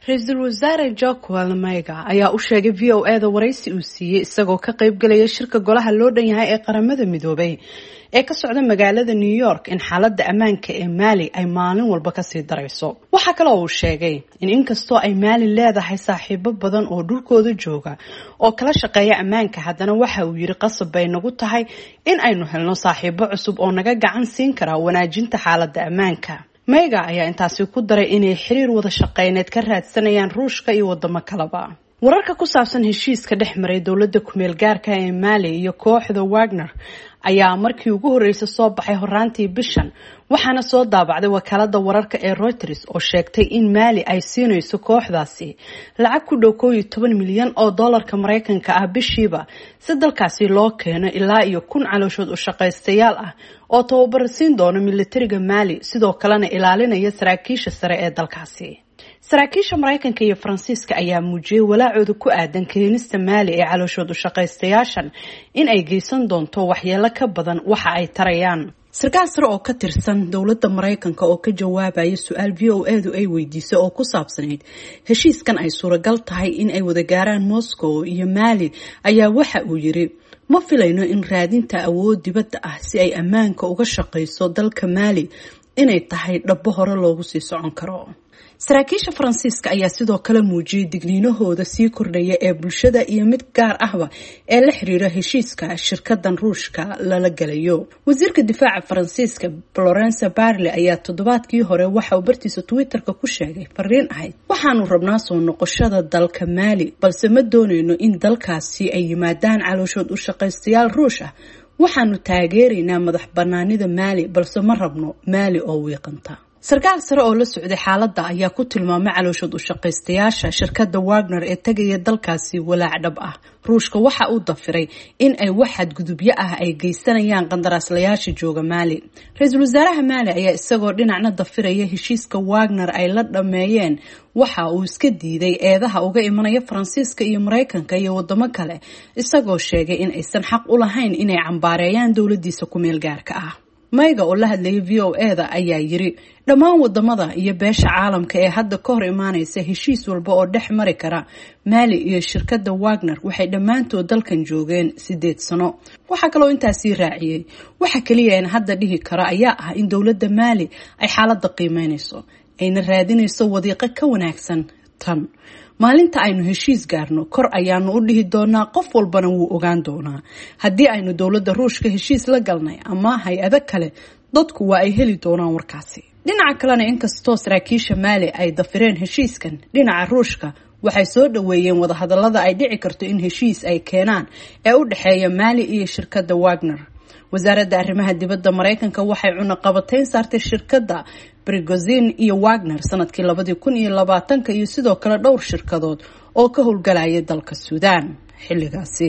Ra-iisul wasaare Joaquel Maiga ayaa u sheegay VOA da waraysi uu siiyey isagoo ka qaybgalaya shirka golaha loo dhan yahay ee Qaramada Midoobay ee ka socda magaalada New York in xaaladda ammaanka ee Maali ay maalin walba kasii darayso. Waxaa kale oo uu sheegay in inkastoo ay Maali leedahay saaxiibo badan oo dhulkooda jooga oo kala shaqeeya ammaanka, haddana waxa uu yiri qasab bay nagu tahay in aynu helno saaxiibo cusub oo naga gacan siin kara wanaajinta xaaladda ammaanka. Maiga ayaa intaasi ku daray inay xiriir wada shaqeyneed ka raadsanayaan Ruushka iyo wadamo kaleba. Wararka ku saabsan heshiiska dhex maray dowladda kumeel gaarka ee Maali iyo kooxda Wagner ayaa markii ugu horreysay soo baxay horaantii bishan, waxaana soo daabacday wakaalada wararka ee Reuters oo sheegtay in Maali ay siinayso kooxdaasi lacag ku dhow 11 milyan oo doolarka Mareykanka ah bishiiba si dalkaasi loo keeno ilaa iyo 1000 calooshood u shaqaystayaal ah oo tababar siin doono militariga Maali, sidoo kalena ilaalinaya saraakiisha sare ee dalkaasi. Saraakiisha Mareykanka iyo Faransiiska ayaa muujiyey walaacooda ku aadan keenista Maali ee calooshood u shaqaystayaashan in ay geysan doonto waxyeelo ka badan waxa ay tarayaan. Sarkaal sare oo ka tirsan dowladda Mareykanka oo ka jawaabaya su-aal VOA du ay weydiisay oo ku saabsanayd heshiiskan ay suuragal tahay in ay wada gaaraan Moscow iyo Maali ayaa waxa uu yiri: "Ma filayno in raadinta awood dibadda ah si ay ammaanka uga shaqayso dalka Maali inay tahay dhabbo hore loogu sii socon karo." Saraakiisha Faransiiska ayaa sidoo kale muujiyey digniinahooda sii kordhaya ee bulshada iyo mid gaar ahba ee la xiriira heshiiska shirkadan Ruushka lala galayo. Wasiirka difaaca Faransiiska Florence Barley ayaa toddobaadkii hore waxa uu bartiisa Twitterka ku sheegay fariin ahayd: "Waxaanu rabnaa soo noqoshada dalka Maali, balse ma dooneyno in dalkaasi ay yimaadaan calooshood u shaqaystayaal Ruush ah. Waxaanu taageeraynaa madax banaanida Maali, balse ma rabno Maali oo wiiqanta." Sarkaal sare oo la socday xaaladda ayaa ku tilmaamay calooshood u shaqaystayaasha shirkadda Wagner ee tegaya dalkaasi walaac dhab ah. Ruushka waxa uu dafiray in ay wax xadgudubyo ah ay geysanayaan qandaraaslayaasha jooga Maali. Ra-iisul wasaaraha Maali ayaa isagoo dhinacna dafiraya heshiiska Wagner ay la dhammeeyeen, waxa uu iska diiday eedaha uga imanaya Faransiiska iyo Mareykanka iyo wadamo kale, isagoo sheegay in aysan xaq u lahayn inay cambaareeyaan dowladiisa kumeel gaarka ah. Mayga oo la hadlayay VOA da ayaa yiri: "Dhammaan wadamada iyo beesha caalamka ee hadda ka hor imaaneysa heshiis walba oo dhex mari kara Maali iyo shirkadda Wagner waxay dhammaantood dalkan joogeen 8 sano." Waxaa kaloo intaasii raaciyey: "Waxa keliya een hadda dhihi karo ayaa ah in dowladda Maali ay xaaladda qiimeyneyso, ayna raadinayso wadiiqo ka wanaagsan tan. Maalinta aynu heshiis gaarno, kor ayaanu u dhihi doonaa, qof walbana wuu ogaan doonaa. Haddii aynu dowladda Ruushka heshiis la galnay ama hay-ado kale, dadku waa ay heli doonaan warkaasi." Dhinaca kalena, inkastoo saraakiisha Maali ay dafireen heshiiskan, dhinaca Ruushka waxay soo dhaweeyeen wadahadalada ay dhici karto in heshiis ay keenaan ee u dhexeeya Maali iyo shirkadda Wagner. Wasaaradda arrimaha dibadda Mareykanka waxay cunaqabatayn saartay shirkadda Brigozin iyo Wagner sanadkii 2020-ka iyo sidoo kale dhowr shirkadood oo ka howlgalaya dalka Suudaan xilligaasi.